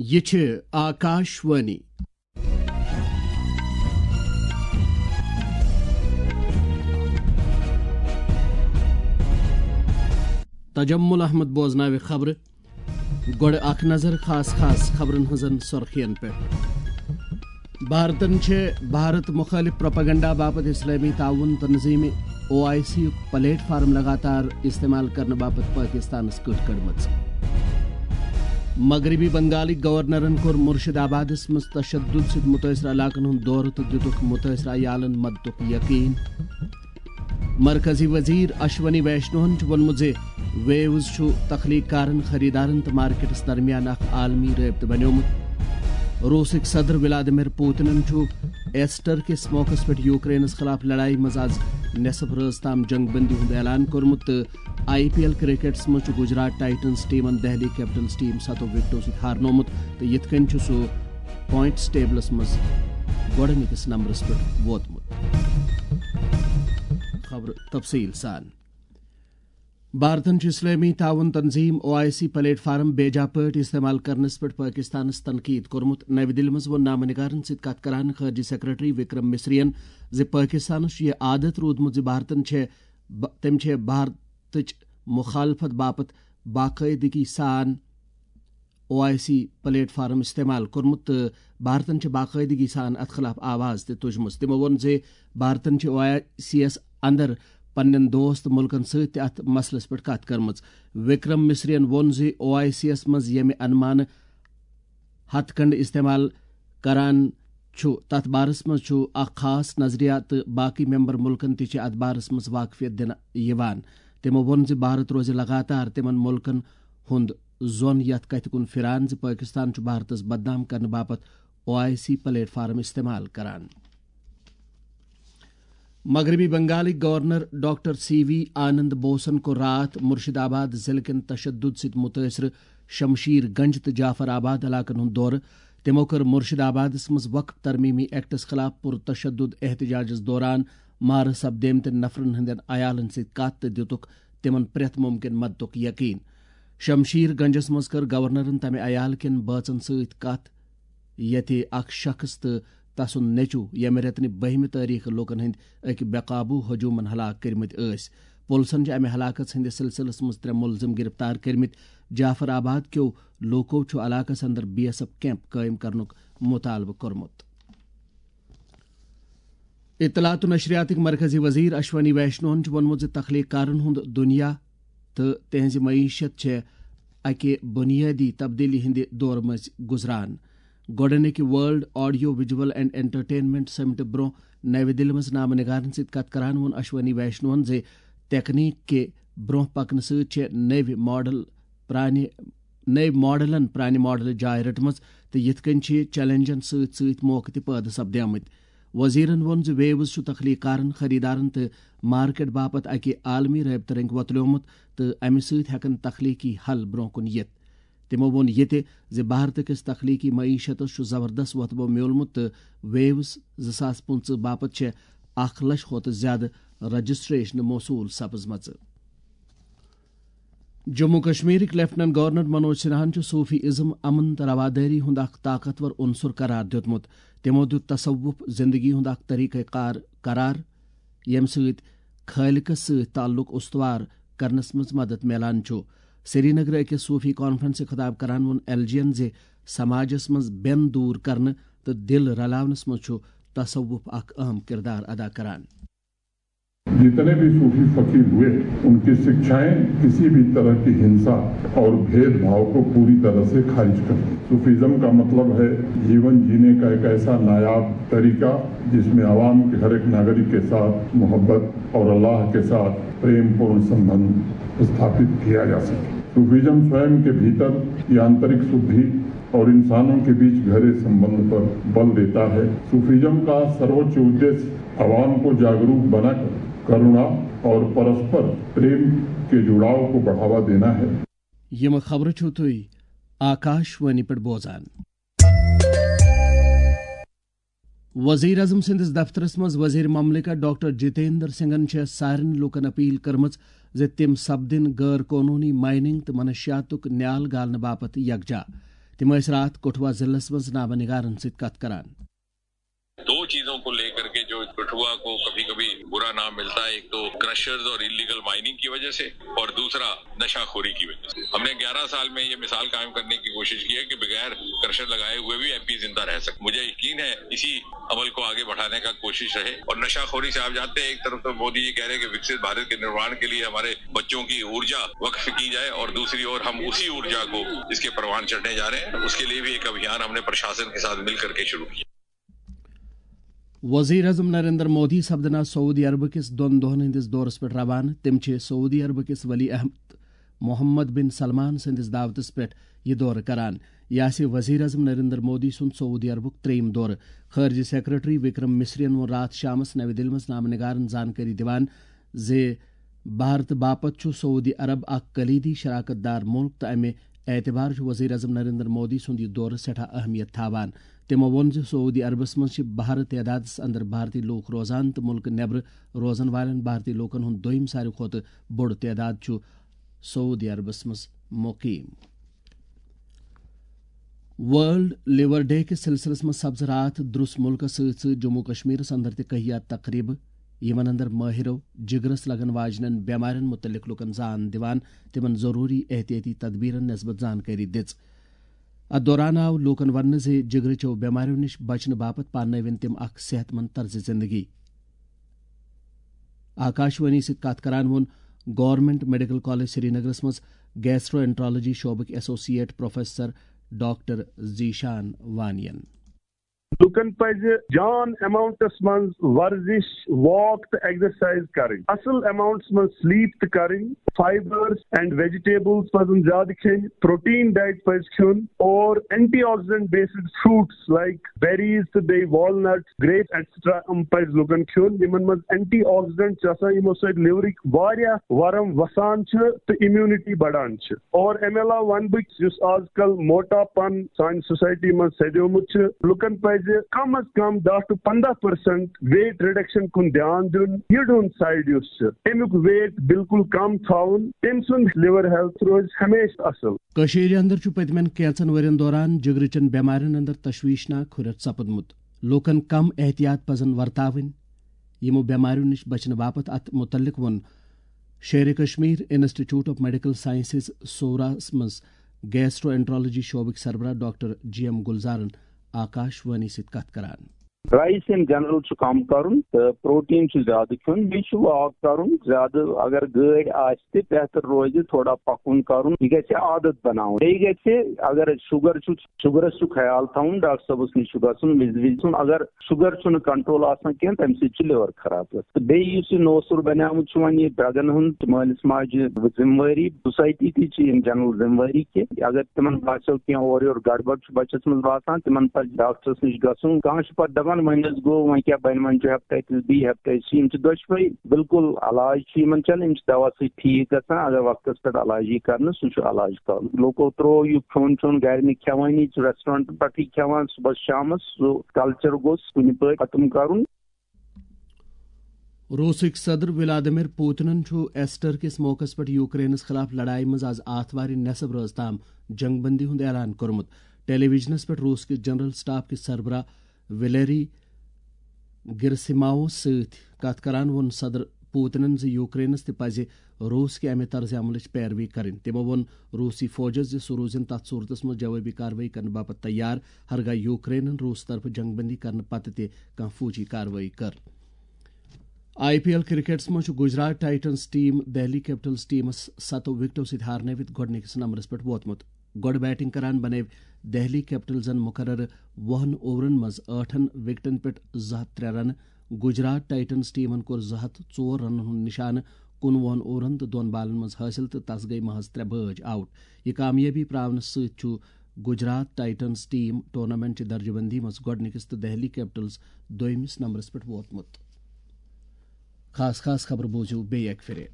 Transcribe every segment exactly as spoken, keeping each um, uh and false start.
یہِ چھِ آکاش وانی۔ تجمل احمد بوزناوِ خبرٕ۔ گۄڈٕ اکھ نظر خاص خاص خبرن ہٕنٛزن سرخین پٮ۪ٹھ۔ بھارتن چھِ بھارت مخٲلف پروپیگنڈا باپتھ اسلٲمی تعاون تنظیمہِ او آئی سی یُک پلیٹ فارم لگاتار استعمال کرنہٕ باپتھ پٲکستانس کٔٹ کٔڑمٕژ۔ مغربی بنگالٕکۍ گورنرن کوٚر مرشد آبادس منٛز تشدد سۭتۍ متٲثرٕ علاقن ہُنٛد دورٕ تہٕ دِتُکھ متٲثرٕ عیالن مددُک یقین۔ مرکزی وزیر اشونی ویشنوہن چھُ ووٚنمُت زِ ویوز چھُ تخلیق کارن، خریدارن تہٕ مارکیٹس درمیان اکھ عالمی رٲبطہٕ بنیومُت۔ روسٕکۍ صدر ولادیمیر پوتنن چھُ ایسٹر کِس موقعس پٮ۪ٹھ یوکرینس خلاف لڑایہِ منٛز از نصف رٲژ تام جنگ بندی ہُنٛد اعلان کوٚرمُت تہٕ آئی پی ایل کرکٹس منٛز چھُ گجرات ٹائٹنز ٹیمن دہلی کیپٹلز ٹیم ستو وکٹو سۭتۍ ہارنومُت تہٕ یِتھ کٔنۍ چھُ سُہ پوائنٹس ٹیبلس منٛز گۄڈٕنِکِس نمبرس پٮ۪ٹھ ووتمُت۔ خبرٕ تفصیٖل سان۔ بھارتن چھُ اسلٲمی تعاون تنظیم او آئی سی پلیٹ فارم بے جا پٲٹھۍ استعمال کرنس پٮ۪ٹھ پٲکستانس تنقید کوٚرمُت۔ نَوِ دِلہِ منٛز ووٚن نامہ نگارن سۭتۍ کتھ کران خارجہ سیکرٹری وکرم مصرین زِ پٲکستانس چھُ یہِ عادت روٗدمُت زِ بھارتن چھےٚ ب-، تٔمۍ چھےٚ بھارتٕچ مخالفت باپتھ باقٲعدگی سان او آئی سی پلیٹ فارم استعمال کوٚرمُت تہٕ بھارتن چھِ باقٲعدگی سان اتھ خلاف آواز تہِ تُجمٕژ۔ تِمو ووٚن زِ بھارتن چھِ او آئی سی یَس اندر پننٮ۪ن دوست مُلکن سۭتۍ تہِ اتھ مسلس پٮ۪ٹھ کتھ کٔرمٕژ۔ وکرم مصرین ووٚن زِ او آئی سی یَس منٛز ییٚمہِ انمانہٕ ہتھ کنڈ استعمال کران چھُ، تتھ بارس منٛز چھُ اکھ خاص نظریہ تہٕ باقی ممبر مُلکن تہِ چھِ اتھ بارس منٛز واقفیت دِنہٕ یِوان۔ تِمو ووٚن زِ بھارت روزِ لگاتار تِمن مُلکن ہُنٛد زون یتھ کتھِ کُن پھران زِ پٲکستان چھُ بھارتس بدنام کرنہٕ باپتھ O I C platform استعمال کران۔ مغربی بنگالٕکۍ governor doctor C V Ananda بوسن کوٚر راتھ مرشد آباد ضلعہٕ کٮ۪ن تشدد سۭتۍ متٲثرٕ شمشیر گنج تہٕ جعفر آباد علاقن ہُنٛد دورٕ۔ تِمو کٔر مرشد آبادس منٛز وقف ترمیمی ایکٹس خلاف پرتشدد احتجاجس دوران مارٕ سپدیمتٮ۪ن نفرن ہٕنٛدٮ۪ن عیالن سۭتۍ کتھ تہٕ دِتُکھ تِمن پرٛٮ۪تھ ممکن مددُک یقین۔ شمشیر گنجس منٛز کٔر گورنرن تمہِ عیال کٮ۪ن بٲژن سۭتۍ کتھ، ییٚتہِ اکھ شخص تہٕ تسُنٛد نیٚچُو، ییٚمہِ رٮ۪تہٕ نہِ بٔہمہِ تٲریخہٕ لوٗکن ہٕنٛدۍ أکۍ بے قابو ہجومن ہلاک کٔرمٕتۍ ٲسۍ۔ پُلسن چھِ امہِ ہلاکس ہٕنٛدِس سلسلس منٛز ترٛےٚ مُلزِم گرفتار کٔرمٕتۍ۔ جعفر آباد کیو لوٗکو چھُ علاقس اندر بی ایس ایف کیمپ قٲیِم کرنُک مُطالبہٕ کوٚرمُت۔ اطلاعات و نشریاتٕکۍ مرکزی وزیر اشونی ویشنوہن چھُ ووٚنمُت زِ تخلیق کارن ہُنٛد دُنیا تہٕ تِہنٛزِ معیشت چھےٚ اکہِ بُنیٲدی تبدیلی ہٕنٛدِ دورٕ مٔنٛزۍ گُزران۔ گۄڈٕنِکہِ world audio visual and entertainment سمٹہٕ برٛونٛہہ نَوِ دِلہِ منٛز نامہٕ نگارن سۭتۍ کتھ کران ووٚن اشونی ویشنوہن زِ تکنیک کہِ برٛونٛہہ پکنہٕ سۭتۍ چھِ نٔوۍ ماڈل پرٛانہِ، نٔوۍ ماڈلن پرٛانہِ ماڈلٕچ جاے رٔٹمٕژ تہٕ یِتھ کٔنۍ چھِ چیلنجن سۭتۍ سۭتۍ موقعہٕ تہِ پٲدٕ سپدیمٕتۍ۔ وزیرن ووٚن زِ ویوز چھُ تخلیق کارن، خریدارن تہٕ مارکیٹ باپتھ اکہِ عالمی رٲبطہٕ رنگہِ وۄتلیومُت تہٕ امہِ سۭتۍ ہٮ۪کن تخلیقی حل برٛونٛہہ کُن یِتھ۔ تِمو ووٚن یہِ تہِ زِ بھارتہٕ کِس تخلیقی معیشتس چھُ زبردست وۄتھبو میوٗلمُت تہٕ ویوز زٕ ساس پٕنٛژٕہ باپتھ چھےٚ اکھ لچھ کھۄتہٕ زِیٛادٕ رجسٹریشنہٕ موصوٗل سپٕزمژٕ۔ جموں کشمیرٕکۍ لیفٹیننٹ گورنر منوج سنہاہن چھُ صوفی ازم امن تہٕ روادٲری ہُنٛد اکھ طاقتور عنصر قرار دیُتمُت۔ تِمو دیُت تصوف زندگی ہُنٛد اکھ طریقہ کار قرار، ییٚمہِ سۭتۍ خالقس سۭتۍ تعلق استوار کرنس منٛز مدد میلان چھُ۔ سرینگرٕ أکِس صوفی کانفرنسہِ خطاب کران ووٚن ایل جی ین زِ سماجس منٛز بٮ۪ن دوٗر کرنہٕ تہٕ دِل رلاونس منٛز چھُ تصوف اکھ اہم کردار ادا کران۔ جتنے بھی صوفی فقیر ہوئے، ان کی شکشائیں کسی بھی طرح کی ہنسا اور بھید بھاؤ کو پوری طرح سے خارج کر دیں۔ صوفیزم کا مطلب ہے جیون جینے کا ایک ایسا نایاب طریقہ جس میں عوام کے ہر ایک ناگرک کے ساتھ محبت اور اللہ کے ساتھ پریم پورن سمبند استھاپت کیا جا سکے۔ صوفیزم سوئم کے بھیتر یہ آنترک شدھی اور انسانوں کے بیچ گہرے سمبند پر بل دیتا ہے۔ صوفیزم کا سروچ ادیش عوام کو جاگروک بنا کر کرونا اور پرسپر پریم کے جڑاؤ کو بڑھاوا دینا ہے۔ یِم خبرٕ چھِو تُہۍ آکاش وانی پٮ۪ٹھ بوزان۔ وزیر اعظم سٕنٛدِس دفترس منٛز وزیر مملکت ڈاکٹر جتیندر سنگھن چھےٚ سارنٕے لوٗکن اپیل کٔرمٕژ زِ تِم سپدٕنۍ غٲر قونوٗنی مائننگ تہٕ منشیاتُک نیال گالنہٕ باپتھ یکجا۔ تِم ٲسۍ راتھ کٹھوا ضلعس منٛز نامہ نگارن سۭتۍ کتھ کران۔ दो चीजों को लेकर के जो कठुआ को कभी कभी बुरा नाम मिलता है, एक तो क्रशर्स और इलीगल माइनिंग की वजह से, और दूसरा नशाखोरी की वजह से। हमने ग्यारह साल में ये मिसाल कायम करने की कोशिश की है कि बगैर क्रशर लगाए हुए भी एमपी जिंदा रह सकते। मुझे यकीन है इसी अमल को आगे बढ़ाने का कोशिश रहे। और नशाखोरी से आप जानते हैं, एक तरफ तो मोदी जी कह रहे हैं कि विकसित भारत के निर्माण के लिए हमारे बच्चों की ऊर्जा वक्फ की जाए, और दूसरी ओर हम उसी ऊर्जा को इसके परवान चढ़ने जा रहे हैं। उसके लिए भी एक अभियान हमने प्रशासन के साथ मिल करके शुरू किया। وزیر اعظم نریندر مودی سپدن آز سعودی عربہٕ کِس دۄن دۄہن ہٕنٛدِس دورس پٮ۪ٹھ روانہٕ۔ تِم چھِ سعودی عربہٕ کِس ولی عہد محمد بن سلمان سٕنٛدِس دعوتس پٮ۪ٹھ یہِ دورٕ کران۔ یہِ آسہِ وزیر اعظم نریندر مودی سُنٛد سعودی عربُک ترٛیٚیِم دورٕ۔ خارجہ سیکرٹری وکرم مصرین ووٚن راتھ شامس نَوِ دِلہِ منٛز نامہ نگارن زانکٲری دِوان زِ بھارت باپتھ چھُ سعودی عرب اکھ کلیدی شراکت دار مُلک تہٕ امہِ اعتبار چھُ وزیر اعظم نریندر مودی سُنٛد یہِ دورٕ سٮ۪ٹھاہ اہمیت تھاوان۔ تِمو ووٚن زِ سعودی عربس منٛز چھِ بہرٕ تعدادس اندر بھارتی لوٗکھ روزان تہٕ مُلکہٕ نٮ۪برٕ روزن والٮ۪ن بھارتی لوٗکن ہُنٛد دوٚیِم ساروی کھۄتہٕ بوٚڑ تعداد چھُ سعودی عربس منٛز مقیم۔ ورلڈ لیور ڈے کِس سلسلس منٛز سپز راتھ درُس مُلکس سۭتۍ سۭتۍ جموں کشمیرس اندر تہِ کہیا تقریبہٕ، یِمن اندر مٲہِرو جگرس لگن واجنٮ۪ن بٮ۪مارٮ۪ن مُتعلق لُکن زان دِوان تِمن ضروٗری احتیاطی تدبیرن نسبت زانکٲری دِژ۔ اتھ دوران آو لوٗکن وننہٕ زِ جگرٕچو بٮ۪مارٮ۪و نِش بچنہٕ باپتھ پاننٲوِن تِم اکھ صحت مند طرزِ زندگی۔ آکاشوانی سۭتۍ کتھ کران ووٚن گورنمنٹ میڈیکل کالج سرینگرس منٛز گیسٹرو انٹرالوجی شعبٕکۍ ایسوسیٹ پروفیسر ڈاکٹر ذیشان وانین۔ لُکن پزِ جان اماؤنٹس منٛز ورزش، واک تہٕ ایگزرسائز کرٕنۍ۔ اصل اماؤنٹس منٛز سلیپ تہِ کرٕنۍ۔ فائبرز اینڈ ویجیٹیبلز پزن زیادٕ کھیٚنۍ۔ پروٹین ڈائٹ پزِ کھیوٚن اور antioxidant based fruits like berries تہٕ بیٚیہِ والنٹ، گریپ ایٹسٹرا، یِم پزِ لُکن کھیوٚن۔ یِمن منٛز اینٹی آکسیڈنٹ چھِ آسان، یِمو سۭتۍ لِورٕکۍ واریاہ ورم وسان چھِ تہٕ امیونٹی بڑان چھِ۔ اور امہِ علاوٕ ونہٕ بہٕ یُس آز کل موٹاپن سانہِ سوسائٹی منٛز سپدیومُت چھُ، لُکن پزِ کم از کم دَہ to پنٛداہ percent weight reduction کُن دیان دیُن۔ یٔڈ ہُنٛد سائیڈ یُس چھُ، امیُک weight بالکل کم تھاوُن، تٔمۍ سُنٛد liver health روزِ ہمیشہٕ اصل۔ کٔشیٖرِ اندر چھُ پٔتمٮ۪ن کینٛژن ؤرین دوران جگرٕچن بٮ۪مارٮ۪ن اندر تشویشناک ہُرٮ۪ر سپُدمُت۔ لوٗکن کم احتیاط پزن ورتاوٕنۍ۔ یِمو بٮ۪مارٮ۪و نِش بچنہٕ باپتھ اتھ مُتعلق ووٚن Sher i Kashmir institute of medical sciences سوراہس منٛز گیسٹرو انٹرالوجی شعبٕکۍ سربراہ ڈاکٹر جی ایم گلزارن آکاش وانی سۭتۍ کتھ کران۔ رائس ان جنرل چھُ کم کرُن تہٕ پروٹین چھُ زیادٕ کھیوٚن، بیٚیہِ چھُ واک کرُن زیادٕ۔ اگر گٲڑۍ آسہِ تہِ بہتر روزِ تھوڑا پکُن کرُن، یہِ گژھِ عادت بناوُن۔ بیٚیہِ گژھِ، اگر شُگر چھُ، شُگرس چھُ خیال تھاوُن، ڈاکٹر صٲبس نِش چھُ گژھُن وِزِ وِزِ۔ اگر شُگر چھُنہٕ کنٹرول آسان کینٛہہ، تمہِ سۭتۍ چھُ liver خراب گژھان۔ تہٕ بیٚیہِ یُس یہِ نوسُر بنیومُت چھُ وۄنۍ یہِ drugن ہُنٛد، مٲلِس ماجہِ ذمہٕ وٲری، سوسائٹی تہِ چھِ یِم جنرل ذمہٕ وٲری کہِ اگر تِمن باسیو کینٛہہ اورٕ یورٕ گڑبڑ چھُ بچس منٛز باسان، تِمن پزِ ڈاکٹرس نِش گژھُن۔ کانٛہہ چھُ پتہٕ دپان وۄنۍ حظ گوٚو، وۄنۍ کیٛاہ بنہِ، وۄنۍ چھُ hepatitis B، hepatitis C، یِم چھِ دۄشوے بالکل علاج چھُ یِمن چلان، یِم چھِ دوا سۭتۍ ٹھیٖک گژھان۔ اگر وقتس پٮ۪ٹھ علاج یی کرنہٕ، سُہ چھُ علاج کرُن۔ لوٗکو ترٛوو یہِ کھیوٚن چیوٚن گرِ نہٕ کھٮ۪وٲنی، چھُ ریسٹورنٹ پٮ۪ٹھٕے کھٮ۪وان صبحس شامس، سُہ کلچر گوٚژھ کُنہِ پٲٹھۍ ختم کرُن۔ روسٕکۍ صدر ولادیمیر پوتنن چھُ ایسٹر کِس موقعس پٮ۪ٹھ یوکرینس خلاف لڑایہِ منٛز از آتھوارِ نٮ۪صٕب رٲژ تام جنگ بندی ہُنٛد اعلان کوٚرمُت۔ ٹیلی ویژنس پٮ۪ٹھ روس کِس جنرل سٹاف کِس سربراہ ولیری گرسیماوس سۭتۍ کتھ کران ووٚن صدر پوتنن زِ یوکرینس تہِ پزِ روس کہِ امہِ طرزِ عملٕچ پیروی کرٕنۍ۔ تِمو ووٚن روسی فوجس زِ سُہ روزِن تتھ صورتس منٛز جوابی کاروٲیی کرنہٕ باپتھ تیار، ہرگاہ یوکرینن روس طرفہٕ جنگ بندی کرنہٕ پتہٕ تہِ کانٛہہ فوجی کاروٲیی کٔر۔ آئی پی ایل کرکٹس منٛز چھُ Gujarat Titans team Delhi Capitals ٹیمس ستو وکٹو سۭتۍ ہارنٲوِتھ گۄڈٕنِکِس نمبرس پٮ۪ٹھ ووتمُت۔ گۄڈٕ بیٹنگ کران بنٲوۍ دہلی کیپٹلزن مقررٕ وُہن اوورن منٛز ٲٹھن وکٹن پٮ۪ٹھ زٕ ہتھ ترٛےٚ رنہٕ۔ گجرات ٹائٹنز ٹیمن کوٚر زٕ ہتھ ژور رنن ہُنٛد نشانہٕ کُنوُہن اوورن تہٕ دۄن بالن منٛز حٲصِل تہٕ تس گٔیہِ محض ترٛےٚ بٲج آؤٹ۔ یہِ کامیٲبی پراونہٕ سۭتۍ چھُ گجرات ٹائٹنز ٹیم ٹورنامنٹ چہِ درجہ بندی منٛز گۄڈٕنِکِس تہٕ دہلی کیپٹلز دوٚیمِس نمبرس پٮ۪ٹھ ووتمُت۔ خاص خاص خبرٕ بوٗزِو بیٚیہِ اکہِ پھِرِ۔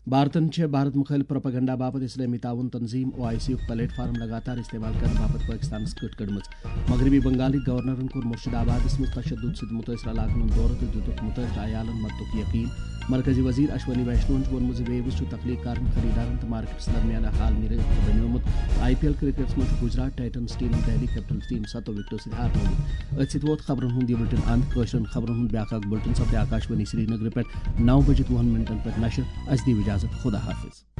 بھارتن چھےٚ بھارت مُخٲلِف پروپیگنڈا باپتھ اسلٲمی تعاون تنظیم او آئی سی یُک پلیٹ فارم لگاتار استعمال کرنہٕ باپتھ پٲکستانس کٔٹ کٔڑمٕژ۔ مغربی بنگالٕکۍ گورنرن کوٚر مرشد آبادس منٛز تشدد سۭتۍ مُتٲثرٕ علاقن ہُنٛد دورٕ تہٕ دِتُکھ مُتٲثرٕ عیالن مددُک یقین۔ مرکزی وزیر اشونی ویشنوہن چھُ ووٚنمُت زِ ویوز چھُ تخلیق کارن، خریدارن تہٕ مارکیٹس درمیان اکھ عالمی رٲبطہٕ بنیومُت۔ آئی پی ایل کرکٹس منٛز چھُ گجرات ٹائٹنز ٹیمن دہلی کیپٹلز ٹیم ستو وکٹو سۭتۍ ہارنوومُت۔ أتھۍ سۭتۍ ووت خبرن ہُنٛد یہِ بُلٹن اند۔ کٲشرٮ۪ن خبرن ہُنٛد بیاکھ اکھ بُلٹن سپدِ آکاشوانی سرینگرٕ پٮ۪ٹھ نو بجہِ دہن منٹن پٮ۪ٹھ نشر۔ اسہِ دِیِو اجازت، خدا حافظ۔